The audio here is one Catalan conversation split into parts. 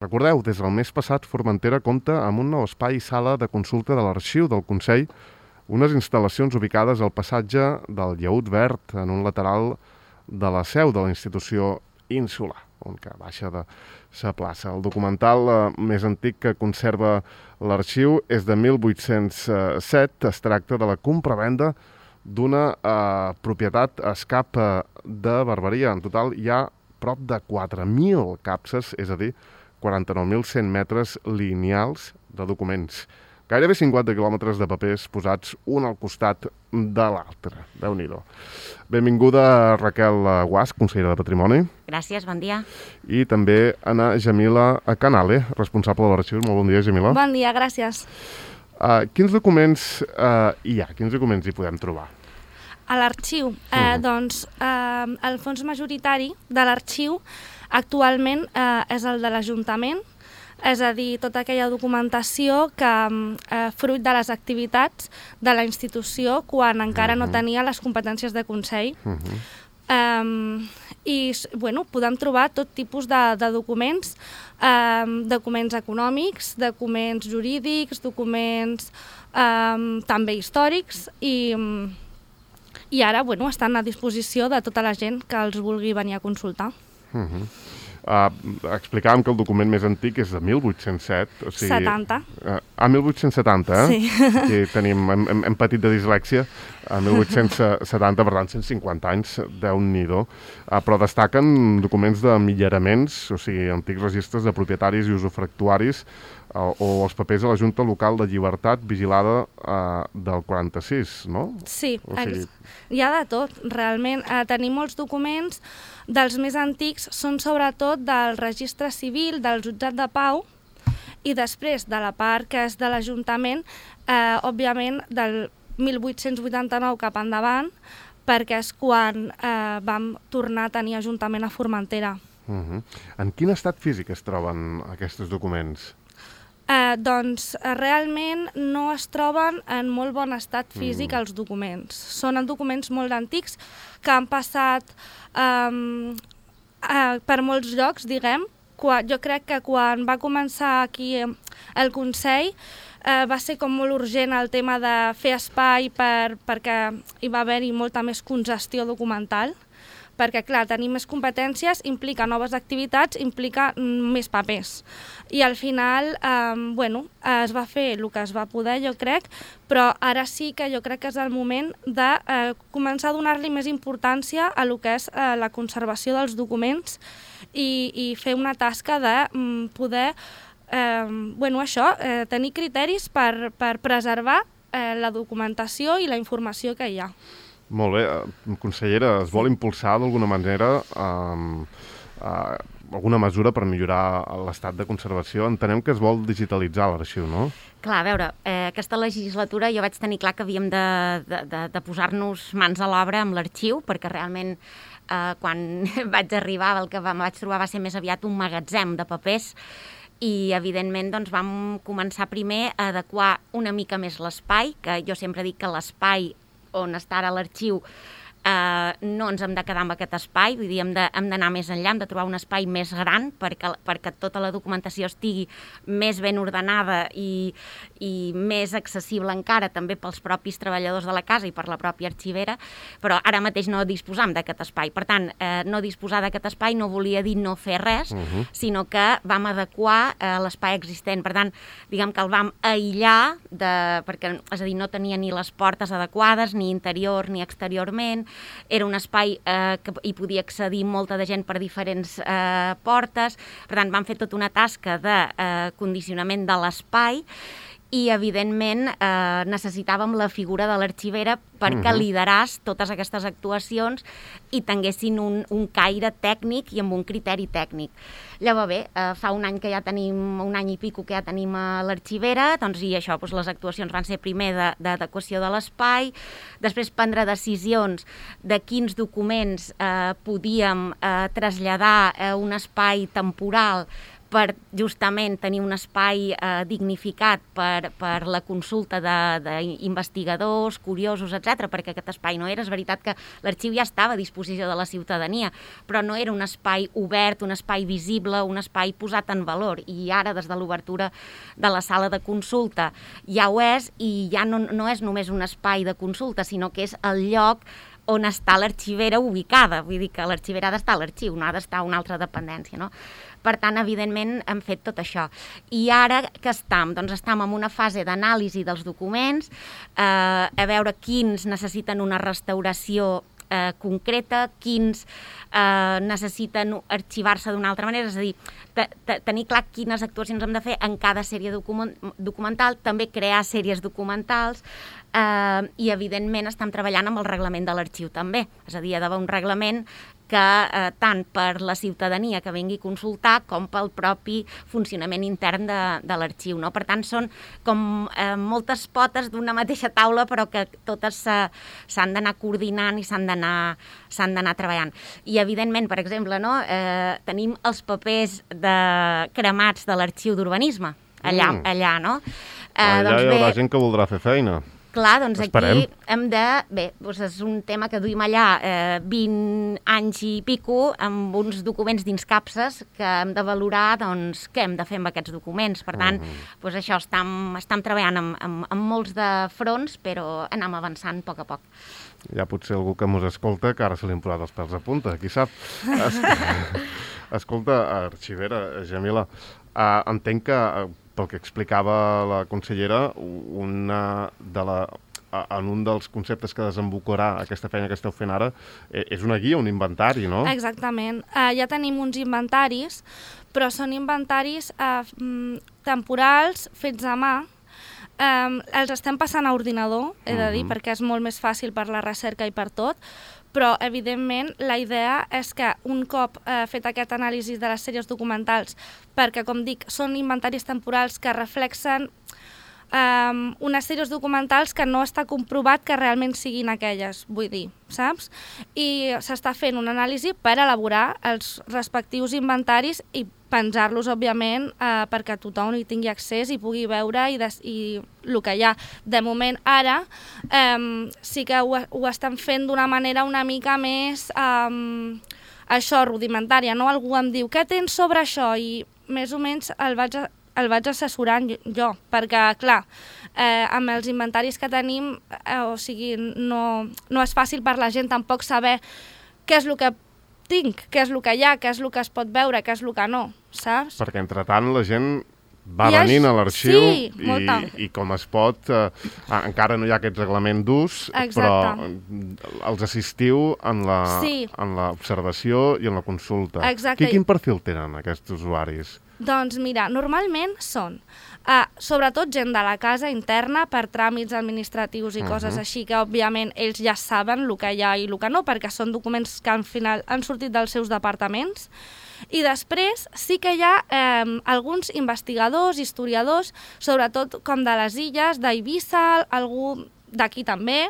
Recordeu, des del mes passat, Formentera compta amb un nou espai i sala de consulta de l'arxiu del Consell, unes instal·lacions ubicades al passatge del Llaüt Verd, en un lateral de la seu de la institució insular, on que baixa de sa plaça. El documental més antic que conserva l'arxiu és de 1807. Es tracta de la compravenda d'una propietat a escap de Barberia. En total hi ha prop de 4.000 capses, és a dir, 49.100 metres lineals de documents. Gairebé 50 quilòmetres de papers posats un al costat de l'altre. Déu-n'hi-do. Benvinguda Raquel Guasch, consellera de Patrimoni. Gràcies, bon dia. I també Ana Jamila Canale, responsable de l'arxiu. Molt bon dia, Jamila. Bon dia, gràcies. Quins documents hi ha? Quins documents hi podem trobar? A l'arxiu, doncs, el fons majoritari de l'arxiu actualment és el de l'Ajuntament, és a dir, tota aquella documentació que fruit de les activitats de la institució quan encara no tenia les competències de Consell. I podem trobar tot tipus de documents, documents econòmics, documents jurídics, documents també històrics i ara estan a disposició de tota la gent que els vulgui venir a consultar. Explicàvem que el document més antic és de 1807. O sigui, 70. 1870, eh? Sí. Aquí tenim, hem patit de dislèxia, a 1870, per tant, 150 anys, Déu-n'hi-do. Però destaquen documents de millaraments, o sigui, antics registres de propietaris i usufructuaris, o els papers a la Junta Local de Llibertat vigilada del 46, no? Sí, hi ha de tot, realment. Tenim molts documents, dels més antics són sobretot del registre civil, del jutjat de pau, i després de la part que és de l'Ajuntament, òbviament del 1889 cap endavant, perquè és quan vam tornar a tenir Ajuntament a Formentera. En quin estat físic es troben aquests documents? Doncs realment no es troben en molt bon estat físic els documents. Són documents molt antics que han passat per molts llocs, diguem. Jo crec que quan va començar aquí el Consell va ser com molt urgent el tema de fer espai perquè hi va haver-hi molta més congestió documental, perquè, clar, tenir més competències implica noves activitats, implica més papers. I al final, es va fer el que es va poder, jo crec, però ara sí que jo crec que és el moment de començar a donar-li més importància a el que és la conservació dels documents i fer una tasca de poder, tenir criteris per preservar la documentació i la informació que hi ha. Molt bé. Consellera, es vol impulsar d'alguna manera alguna mesura per millorar l'estat de conservació? Entenem que es vol digitalitzar l'arxiu, no? Clar, a veure, aquesta legislatura jo vaig tenir clar que havíem de posar-nos mans a l'obra amb l'arxiu, perquè realment quan vaig arribar el que vaig trobar va ser més aviat un magatzem de papers i, evidentment, doncs, vam començar primer a adequar una mica més l'espai, que jo sempre dic que l'espai on està ara l'arxiu, no ens hem de quedar amb aquest espai, vull dir, hem d'anar més enllà, hem de trobar un espai més gran perquè tota la documentació estigui més ben ordenada i més accessible encara també pels propis treballadors de la casa i per la pròpia arxivera, però ara mateix no disposam d'aquest espai. Per tant, no disposar d'aquest espai no volia dir no fer res, sinó que vam adequar l'espai existent. Per tant, diguem que el vam aïllar, perquè, és a dir, no tenia ni les portes adequades, ni interior ni exteriorment. Era un espai que hi podia accedir molta de gent per diferents portes. Per tant, vam fer tota una tasca de condicionament de l'espai i, evidentment, necessitàvem la figura de l'arxivera perquè lideràs totes aquestes actuacions i tinguessin un caire tècnic i amb un criteri tècnic. Llavors, bé, fa un any que ja tenim, un any i pico que ja tenim a l'arxivera, doncs, i això, doncs, les actuacions van ser primer d'adequació de l'espai, després prendre decisions de quins documents podíem traslladar a un espai temporal per justament tenir un espai dignificat per la consulta d'investigadors, curiosos, etc, perquè aquest espai no era. És veritat que l'arxiu ja estava a disposició de la ciutadania, però no era un espai obert, un espai visible, un espai posat en valor. I ara, des de l'obertura de la sala de consulta, ja ho és, i ja no és només un espai de consulta, sinó que és el lloc on està l'arxivera ubicada. Vull dir que l'arxivera ha d'estar a l'arxiu, no ha d'estar a una altra dependència, no? Per tant, evidentment, hem fet tot això. I ara què estem? Doncs estem en una fase d'anàlisi dels documents, a veure quins necessiten una restauració concreta, quins necessiten arxivar-se d'una altra manera, és a dir, tenir clar quines actuacions hem de fer en cada sèrie documental, també crear sèries documentals, i evidentment estem treballant amb el reglament de l'arxiu també, és a dir, hi ha d'haver un reglament que tant per la ciutadania que vingui a consultar com pel propi funcionament intern de l'arxiu, no? Per tant, són com moltes potes d'una mateixa taula, però que totes s'han d'anar coordinant i s'han d'anar treballant. I, evidentment, per exemple, no? Tenim els papers cremats de l'arxiu d'urbanisme, allà, no? Allà hi haurà gent que voldrà fer feina. Clar, doncs Esperem. aquí hem de... Bé, doncs és un tema que duim allà 20 anys i pico amb uns documents dins capses que hem de valorar, doncs, què hem de fer amb aquests documents. Per tant, doncs això, estem treballant amb molts de fronts, però anem avançant a poc a poc. Hi ha potser algú que mos escolta que ara se li han posat els pèls a punta, qui sap. Escolta, arxivera, Jamila, entenc que, pel que explicava la consellera, en un dels conceptes que desembocarà aquesta feina que esteu fent ara és una guia, un inventari, no? Exactament. Ja tenim uns inventaris, però són inventaris temporals, fets a mà. Els estem passant a ordinador, he de dir, perquè és molt més fàcil per la recerca i per tot, però, evidentment, la idea és que un cop fet aquest anàlisi de les sèries documentals, perquè, com dic, són inventaris temporals que reflexen unes sèries documentals que no està comprovat que realment siguin aquelles, vull dir, saps? I s'està fent un anàlisi per elaborar els respectius inventaris i penjar-los, òbviament, perquè tothom hi tingui accés i pugui veure i el que hi ha. De moment, ara, sí que ho estan fent d'una manera una mica més, això, rudimentària, no? Algú em diu, què tens sobre això? I més o menys el vaig assessorant jo, perquè, clar, amb els inventaris que tenim, o sigui, no és fàcil per la gent tampoc saber què és el que tinc, què és el que hi ha, què és el que es pot veure, què és el que no, saps? Perquè, entretant, la gent va venint a l'arxiu i com es pot, encara no hi ha aquest reglament d'ús, però els assistiu en l'observació i en la consulta. Exacte. Quin perfil tenen aquests usuaris? Doncs mira, normalment són sobretot gent de la casa interna per tràmits administratius i coses així, que òbviament ells ja saben el que hi ha i el que no, perquè són documents que al final han sortit dels seus departaments. I després sí que hi ha alguns investigadors, historiadors, sobretot com de les illes, d'Eivissa, algú d'aquí també,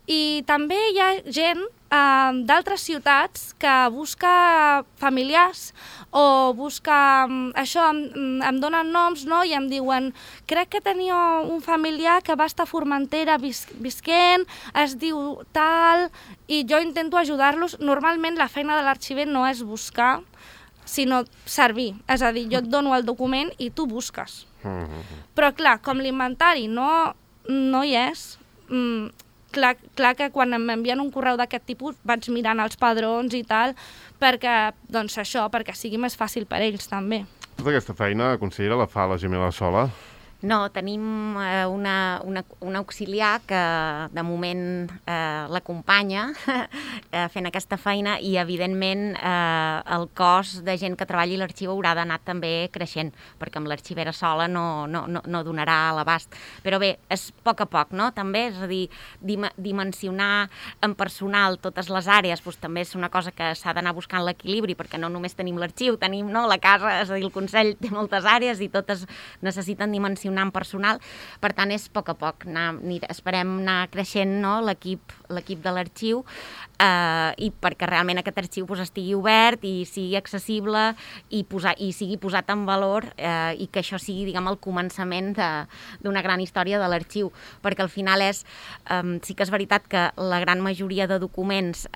i també hi ha gent d'altres ciutats que busca familiars o busca això, em donen noms, no? I em diuen, crec que tenia un familiar que va estar a Formentera visquent, es diu tal, i jo intento ajudar-los. Normalment la feina de l'arxiver no és buscar, sinó servir. És a dir, jo et dono el document i tu busques. Però clar, com l'inventari no hi és, clar que quan m'envien un correu d'aquest tipus vaig mirant els padrons i tal, perquè, doncs això, perquè sigui més fàcil per ells també. Tota aquesta feina, consellera, la fa la Jamila sola? No, tenim una auxiliar que de moment l'acompanya fent aquesta feina i, evidentment, el cos de gent que treballi a l'arxiu haurà d'anar també creixent, perquè amb l'arxivera sola no donarà a l'abast. Però bé, és a poc, no? També, és a dir, dimensionar en personal totes les àrees, doncs també és una cosa que s'ha d'anar buscant l'equilibri, perquè no només tenim l'arxiu, tenim la casa, és a dir, el Consell té moltes àrees i totes necessiten dimensionar proporcionant personal, per tant és a poc, esperem anar creixent, no, l'equip de l'arxiu, i perquè realment aquest arxiu estigui obert i sigui accessible i sigui posat en valor, i que això sigui, diguem, el començament d'una gran història de l'arxiu, perquè al final sí que és veritat que la gran majoria de documents,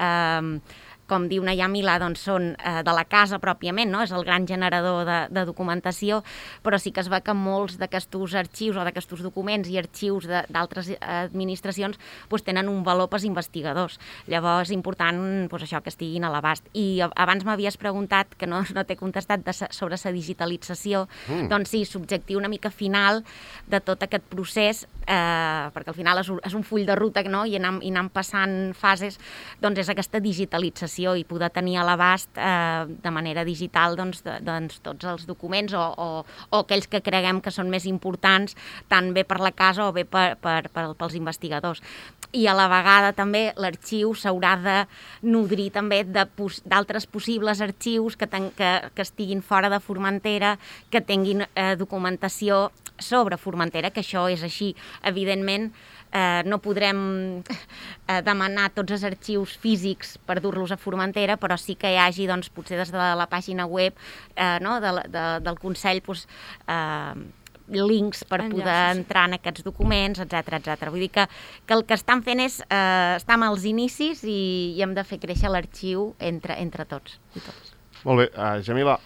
com diu Nayar Milà, doncs són de la casa pròpiament, no? És el gran generador de documentació, però sí que es veu que molts d'aquests arxius o d'aquests documents i arxius d'altres administracions tenen un valor pels investigadors. Llavors és important això, que estiguin a l'abast. I abans m'havies preguntat, que no t'he contestat, sobre la digitalització. Doncs sí, l'objectiu una mica final de tot aquest procés, perquè al final és un full de ruta, no? I anant passant fases, doncs és aquesta digitalització i poder tenir a l'abast de manera digital tots els documents o aquells que creguem que són més importants, tant bé per la casa o bé pels investigadors. I a la vegada també l'arxiu s'haurà de nodrir també d'altres possibles arxius que estiguin fora de Formentera, que tinguin documentació sobre Formentera, que això és així. Evidentment, no podrem demanar tots els arxius físics per dur-los a Formentera, però sí que hi hagi, doncs, potser des de la pàgina web del Consell, links per poder entrar en aquests documents, etc. Vull dir que el que estan fent és estar als inicis i hem de fer créixer l'arxiu entre tots i tots. Molt bé, Jamila,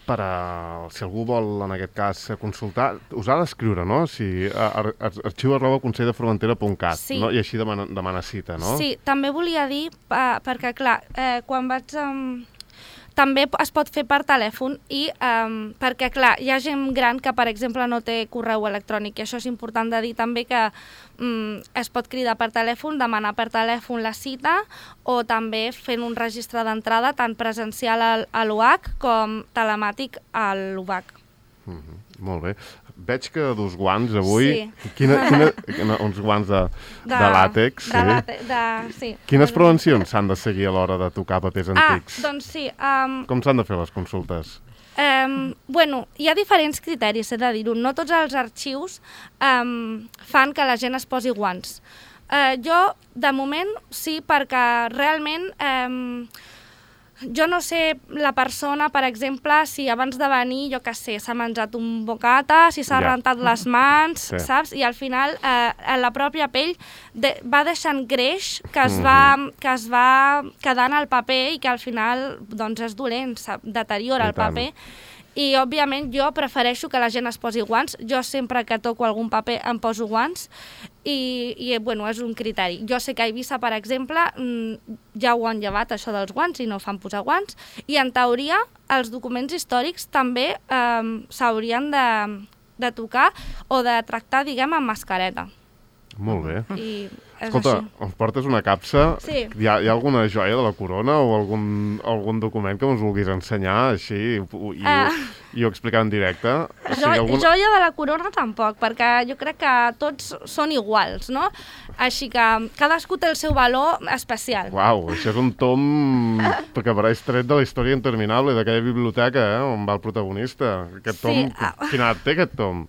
si algú vol, en aquest cas, consultar, us ha d'escriure, no? arxiu@conselldeformentera.cat, sí. No? I així demana cita, no? Sí, també volia dir, perquè clar, quan vaig... També es pot fer per telèfon i perquè, clar, hi ha gent gran que, per exemple, no té correu electrònic i això és important de dir també que es pot cridar per telèfon, demanar per telèfon la cita o també fent un registre d'entrada tant presencial a l'UAC com telemàtic a l'UVAC. Molt bé. Veig que dus guants avui. Sí. Uns guants de làtex. Sí. Quines prevencions s'han de seguir a l'hora de tocar papers antics? Doncs sí. Com s'han de fer les consultes? Hi ha diferents criteris, he de dir-ho. No tots els arxius fan que la gent es posi guants. Jo, de moment, sí, perquè realment... Jo no sé la persona, per exemple, si abans de venir, jo què sé, s'ha menjat un bocata, si s'ha rentat les mans, saps? I al final la pròpia pell va deixant greix que es va quedant al paper i que al final doncs, és dolent, deteriora el paper. I, òbviament, jo prefereixo que la gent es posi guants. Jo sempre que toco algun paper em poso guants i bueno, és un criteri. Jo sé que a Eivissa, per exemple, ja ho han llevat, això dels guants, i no fan posar guants. I, en teoria, els documents històrics també s'haurien de tocar o de tractar, diguem, amb mascareta. Molt bé. I escolta, ens portes una capsa. Sí. Hi ha alguna joia de la corona o algun document que ens vulguis ensenyar així i ho explicar en directe? Joia de la corona tampoc, perquè jo crec que tots són iguals, no? Així que cadascú té el seu valor especial. Uau, això és un tom que apareix tret de la història interminable d'aquella biblioteca on va el protagonista. Aquest tom, quina edat té aquest tom?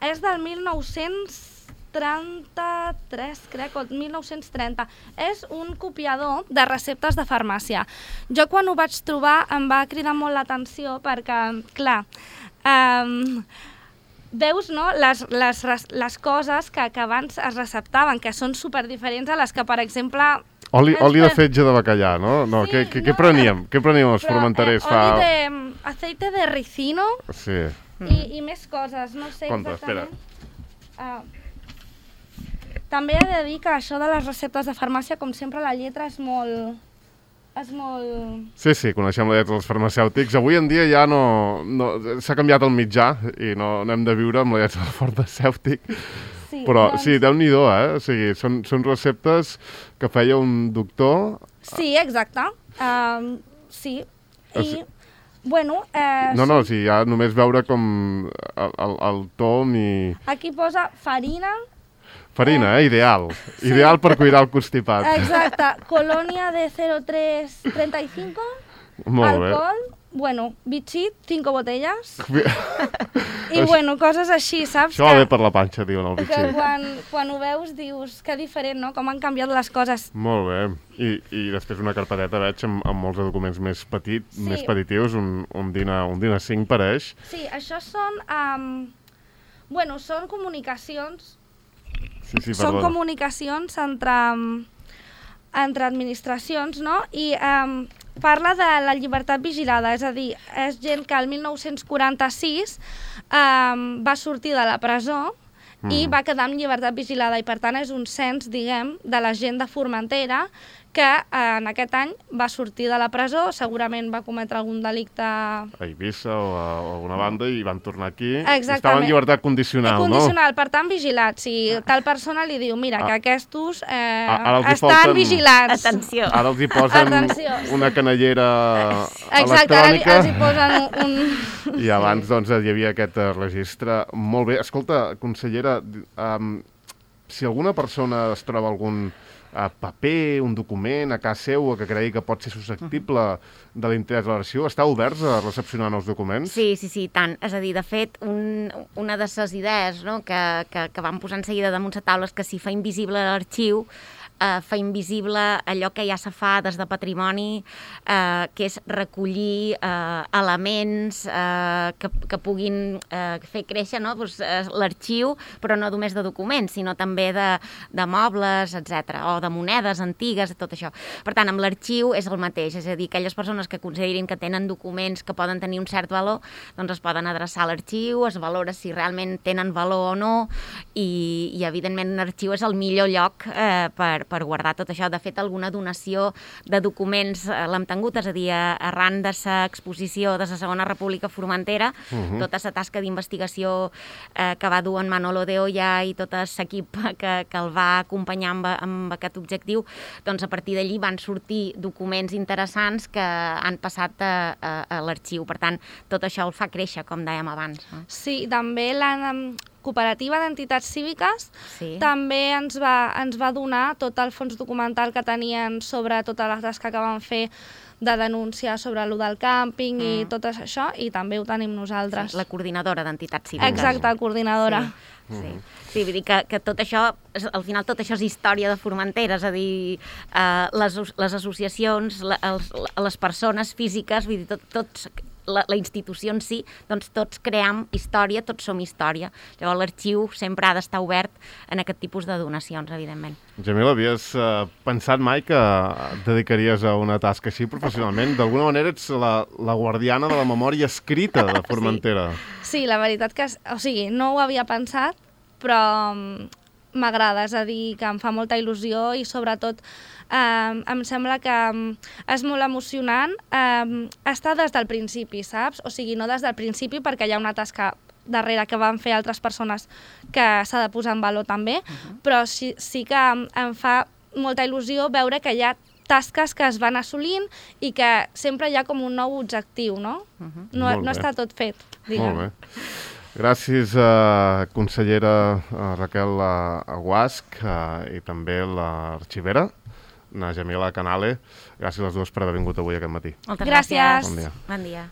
És del 1933, crec, o 1930. És un copiador de receptes de farmàcia. Jo quan ho vaig trobar em va cridar molt l'atenció perquè, clar, veus, no, les coses que abans es receptaven, que són superdiferents a les que, per exemple... Oli de fetge de bacallà, no? Què preníem? Què preníem els formenterers fa... Aceite de ricino i més coses, no sé exactament. Espera. També he de dir que això de les receptes de farmàcia, com sempre, la lletra és molt... Sí, coneixem la lletra dels farmacèutics. Avui en dia ja no s'ha canviat el mitjà i no hem de viure amb la lletra del farmacèutic. Sí, però sí, Déu-n'hi-do, O sigui, són receptes que feia un doctor... Sí, exacte. Sí, i... Bueno... No, o sigui, ja només veure com el tom i... Aquí posa farina... Farina, ideal. Sí. Ideal per cuidar el constipat. Exacte. Colònia de 0,335. Molt bé. Alcohol bueno, bitxit, 5 botellas, i bueno, coses així, saps? Això va bé per la panxa, diuen el Que bitxí. quan ho veus dius que diferent, no? Com han canviat les coses. Molt bé. I després una carpeteta, veig, amb molts de documents més més petitius, un DIN 5 pareix. Sí, això són... bueno, són comunicacions. Sí, Són perdona. comunicacions entre administracions, no? I parla de la llibertat vigilada, és a dir, és gent que el 1946 va sortir de la presó i va quedar en llibertat vigilada i per tant és un cens, diguem, de la gent de Formentera que en aquest any va sortir de la presó, segurament va cometre algun delicte... A Eivissa o a alguna banda i van tornar aquí. Exactament. Estaven en llibertat condicional, condicional, per tant vigilats. Si tal persona li diu, mira, que aquests ara els hi estan falten- vigilats. Atenció. Ara els hi posen Atenció. una canellera Exacte, ara electrònica. els hi posen un... I abans doncs, hi havia aquest registre. Molt bé. Escolta, consellera, si alguna persona es troba algun paper, un document a casa seu que cregui que pot ser susceptible de l'interès de l'arxiu, està oberts a recepcionar nous documents? Sí, tant. És a dir, de fet, una de les idees, no, que vam posar en seguida damunt la taula és que si fa invisible l'arxiu, fa invisible allò que ja se fa des de patrimoni, que és recollir elements que puguin fer créixer, no? Doncs, l'arxiu, però no només de documents, sinó també de mobles, etc, o de monedes antigues, tot això. Per tant, amb l'arxiu és el mateix, és a dir, aquelles persones que considerin que tenen documents que poden tenir un cert valor, doncs es poden adreçar a l'arxiu, es valora si realment tenen valor o no, i evidentment un arxiu és el millor lloc per guardar tot això. De fet, alguna donació de documents l'hem tingut, és a dir, arran de l'exposició de la Segona República Formentera, tota la tasca d'investigació que va dur en Manolo de Oya i tot l'equip que el va acompanyar amb aquest objectiu, doncs a partir d'allí van sortir documents interessants que han passat a l'arxiu. Per tant, tot això el fa créixer, com dèiem abans. Sí, també la cooperativa d'entitats cíviques també ens va donar tot el fons documental que tenien sobre tota la tasca que van fer de denúncia sobre allò del càmping i tot això, i també ho tenim nosaltres. Sí, la coordinadora d'entitats cíviques. Exacte, coordinadora. Sí, vull dir que tot això, al final tot això és història de Formentera, és a dir, les associacions, les persones físiques, vull dir, tots la institució en si, doncs tots creem història, tots som història. Llavors l'arxiu sempre ha d'estar obert en aquest tipus de donacions, evidentment. Jamil, havies pensat mai que et dedicaries a una tasca així professionalment? D'alguna manera ets la guardiana de la memòria escrita de Formentera. Sí, la veritat que, o sigui, no ho havia pensat, però m'agrada, és a dir, que em fa molta il·lusió i sobretot em sembla que és molt emocionant estar des del principi, saps? O sigui, no des del principi perquè hi ha una tasca darrere que van fer altres persones que s'ha de posar en valor també, però sí que em fa molta il·lusió veure que hi ha tasques que es van assolint i que sempre hi ha com un nou objectiu, no? No està tot fet, diguem. Molt bé. Gràcies, consellera Raquel Guasch i també l'arxivera, na Jamila Canale. Gràcies a les dues per haver vingut avui aquest matí. Moltes gràcies. Bon dia.